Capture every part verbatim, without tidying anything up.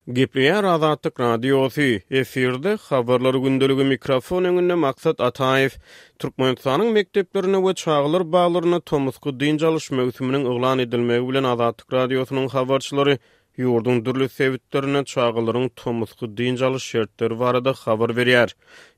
Gepleýär Azatlyk Radiosy, efirde Habarlar gündeligi, mikrofon öňünde Maksat Ataýew. Türkmenistanyň mekdeplerinde we çagalar baglarynda tomusky dynç alyş möwsüminiň yglan edilmegi bilen Azatlyk Radiosynyň habarçylary ýurduň dürli sebitlerinde çagalaryň tomusky dynç alyş şertleri barada habar berýär.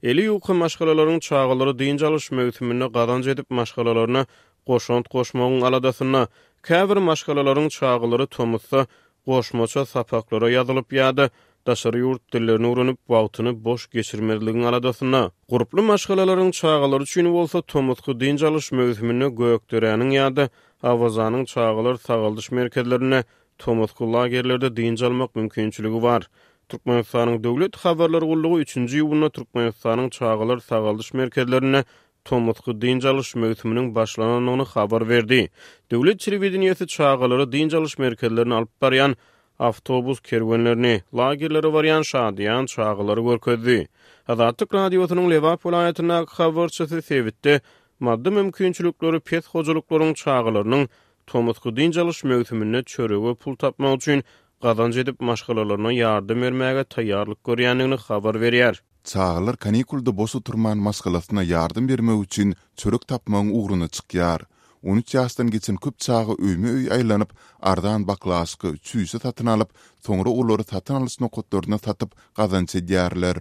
Eli ýuka maşgalalaryň çagalary dynç alyş möwsüminde gazanç edip maşgalalaryna goşant goşmagyň aladasynda, käbir maşgalalaryň çagalary tomusda goşmaça sapaklara ýazylyp ýa-da daşary ýurt dillerini öwrenip wagtyny boş geçirmezligiň aladasynda. Gurply maşgalalaryň çagalary üçin bolsa tomusky dynç alyş möwsüminde Gökderäniň ýa-da Awazanyň çagalar sagaldyş merkezlerinde tomusky lagerlerde dynç almak mümkinçiligi bar. Türkmenistanyň Döwlet habarlar gullugy üçünji iýunda Türkmenistanyň çagalar sagaldyş merkezlerinde tomusky dynç alyş möwsüminiň başlanandygyny habar berdi. Döwlet telewideniýesi çagalary dynç alyş merkezlerine alyp barýan awtobus kerwenlerini, lagerlere barýan şadyýan çagalary görkezdi. Azatlyk Radiosynyň Lebap welaýatyndaky habarçysy sebitde maddy mümkinçilikleri pes hojalyklaryň çagalarynyň tomusky dynç alyş möwsüminde çörege pul tapmak üçin gazanç edip maşgalalaryna ýardam bermäge taýýarlyk görýändigini habar berýär. Çagalar kanikulda boş oturman maşgalasyna ýardam bermek üçin çörek tapmagyň ugruna çykýar. On üç ýaşdan geçen köp çaga öýme-öý aýlanyp, arzan baklaşka, çüýşe satyn alyp, soňra olary satyn alyş nokatlaryna satyp gazanç edýärler.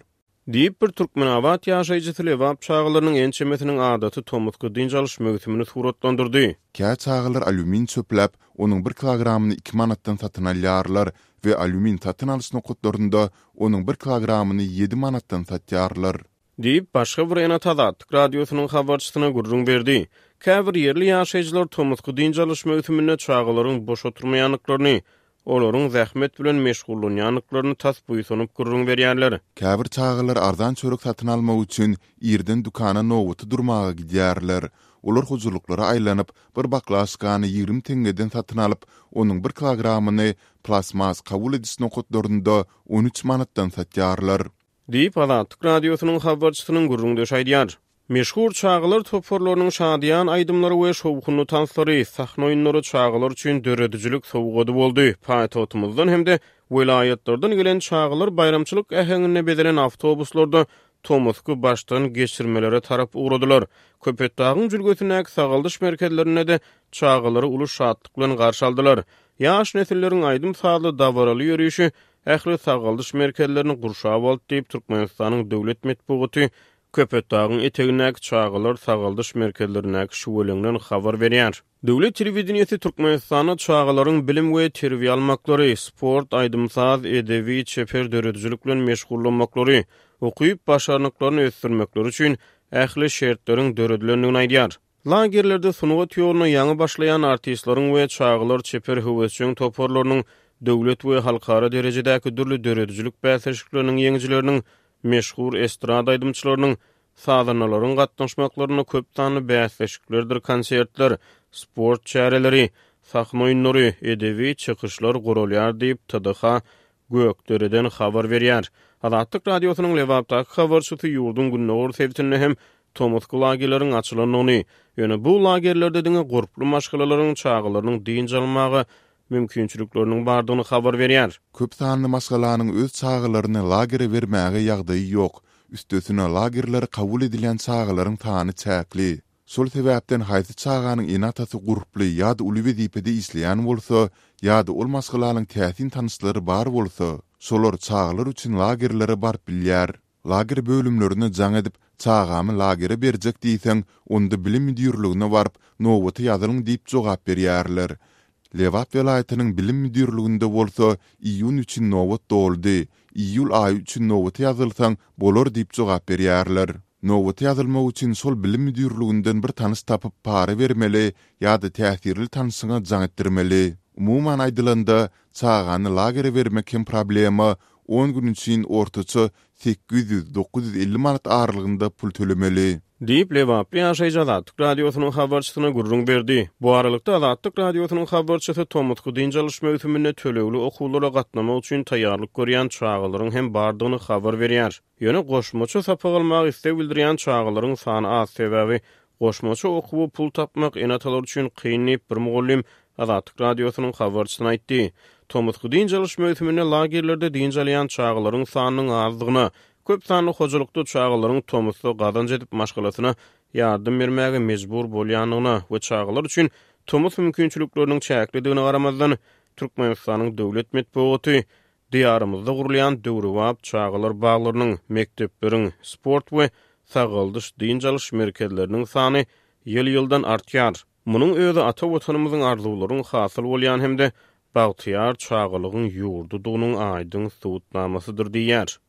Diýip, bir Türkmenabat ýaşaýjysy Lebap çagalarynyň ençemesiniň adaty tomusky dynç alyş möwsümini suratlandyrdy. Kä çagalar alýumin çöpläp, onuň bir kilogramyny iki manatdan satyn alýarlar we alýumin satyn alyş nokatlarynda onuň bir kilogramyny ýedi manatdan satýarlar. Diýip, başga bir ene-ata Azatlyk Radiosynyň habarçysyna gürrüň berdi. Käbir ýerli ýaşaýjylar tomusky dynç alyş möwsüminde çagalaryň boş oturmaýandyklaryny, olaryň zähmet bilen meşgullanýandyklaryny tas buýsanyp gürrüň berýärler. Käbir çagalar arzan çörek satyn almak üçin irden dükana nobata durmaga gidýärler. Olar hojalyklara aýlanyp, bir baklaşkany ýigrimi teňňeden satyn alyp, onuň bir kilogramyny plastmas kabul ediş nokatlarynda on üç manatdan satýarlar. Diýip, Azatlyk Radiosynyň habarçysynyň gürrüňdeşi aýdýar. Meşhur çagalar toparlarynyň şadyýan aýdymlary we şowhunly tanslary, sahna oýunlary çagalar üçin döredijilik sowgady boldy. Paýtagtymyzdan hem-de welaýatlardan gelen çagalar baýramçylyk äheňinde bezelen awtobuslarda tomusky başdan geçirmelere tarap ugradylar. Köpetdagyň jülgesindäki sagaldyş merkezlerinde-de çagalary uly şatlyk bilen garşy aldylar. Ýaş nesilleriň aýdym-sazly dabaraly ýörişi ähli sagaldyş merkezlerini gurşap aldy diýip, Türkmenistanyň döwlet metbugaty Köpetdagyň etegindäki çagalar sagaldyş merkezlerindäki şüweleňden habar berýär. Döwlet telewideniýesi Türkmenistanda çagalaryň bilim we terbiýe almaklary, sport, aýdym-saz, edebi, çeper döredijilik bilen meşgullanmaklary, okyp başarnyklaryny ösdürmekleri üçin ähli şertleriň döredilendigini aýdýar. Lagerlerde sungat ýoluna ýaňy başlaýan artistleriň we çagalar çeper höwesjeň toparlarynyň döwlet we halkara derejedäki dürli döredijilik bäsleşikleriniň ýeňijileriniň, meşhur estrada aýdymçylarynyň, sazandalaryň gatnaşmaklarynda köp sanly bäsleşiklerdir konsertler, sport çäreleri, sahna oýunlary, edebi çykyşlar guralýar diýip, T D H Gökdereden habar berýär. Azatlyk Radiosynyň Lebapdaky habarçysy ýurduň gündogar sebitinde hem tomusky lagerleriň açylandygyny, ýöne bu lagerlerde diňe gurply maşgalalaryň çagalarynyň dynç almaga mümkinçilikleriniň bardygyny habar berýär. Köp sanly maşgalanyň öz çagalaryny lagere bermäge ýagdaýy ýok. Üstesine lagerlere kabul edilen çagalaryň sany çäkli. Şol sebäpden haýsy çaganyň ene-atasy gurply ýa-da uly wezipede işleýän bolsa, ýa-da ol maşgalanyň täsin tanyşlary bar bolsa, şolar çagalar üçin lagerlere baryp bilýär. Lager bölümlerine jaň edip, çagamy lagere berjek diýseň, onda bilim müdirligine baryp, nobata ýazylyň diýip jogap berýärler. Lebap welaýatynyň bilim müdirliginde bolsa, iýun üçin nobat doldy, iýul aýy üçin nobata ýazylsaň, bolar diýip jogap berýärler. Nobata ýazylmak üçin şol bilim müdirliginden bir tanyş tapyp para bermeli ýa-da täsirli tanyşyňa jaň etdirmeli. Umuman aýdylanda, çagany lagere bermek hem problema, on gün üçin ortaça sekiz ýüz dokuz ýüz elli manat aralygynda pul tölemeli. Diýip, Lebaply ýaşaýjy Azatlyk Radiosynyň habarçysyna gürrüň berdi. Bu aralykda Azatlyk Radiosynyň habarçysy tomusky dynç alyş möwsüminde tölegli okuwlara gatnamak üçin taýýarlyk görýän çagalaryň hem bardygyny habar berýär. Ýöne goşmaça sapak almaga isleg bildirýän çagalaryň sany az, sebäbi goşmaça okuwy pul tapmak ene-atalar üçin kyn diýip, bir mugallym Azatlyk Radiosynyň habarçysyna aýtdy. Tomusky dynç alyş möwsüminde lagerlerde dynç alýan çagalaryň sanynyň azdygyna, köp sanly hojalykda çagalaryň tomusda gazanç edip maşgalasyna ýardam bermäge mejbur bolýandygyna we çagalar üçin tomus mümkinçilikleriniň çäklidigine garamazdan, Türkmenistanyň döwlet metbugaty Diýarymyzda gurulýan döwrebap çagalar baglarynyň, mekdepleriň, sport we sagaldyş-dynç alyş merkezleriniň sany ýyl-ýyldan artýar. Munuň özi ata Watanymyzyň arzuwlaryň hasyl bolýan hem-de bagtyýar çagalygyň ýurdudygynyň aýdyň subutnamasydyr diýýär.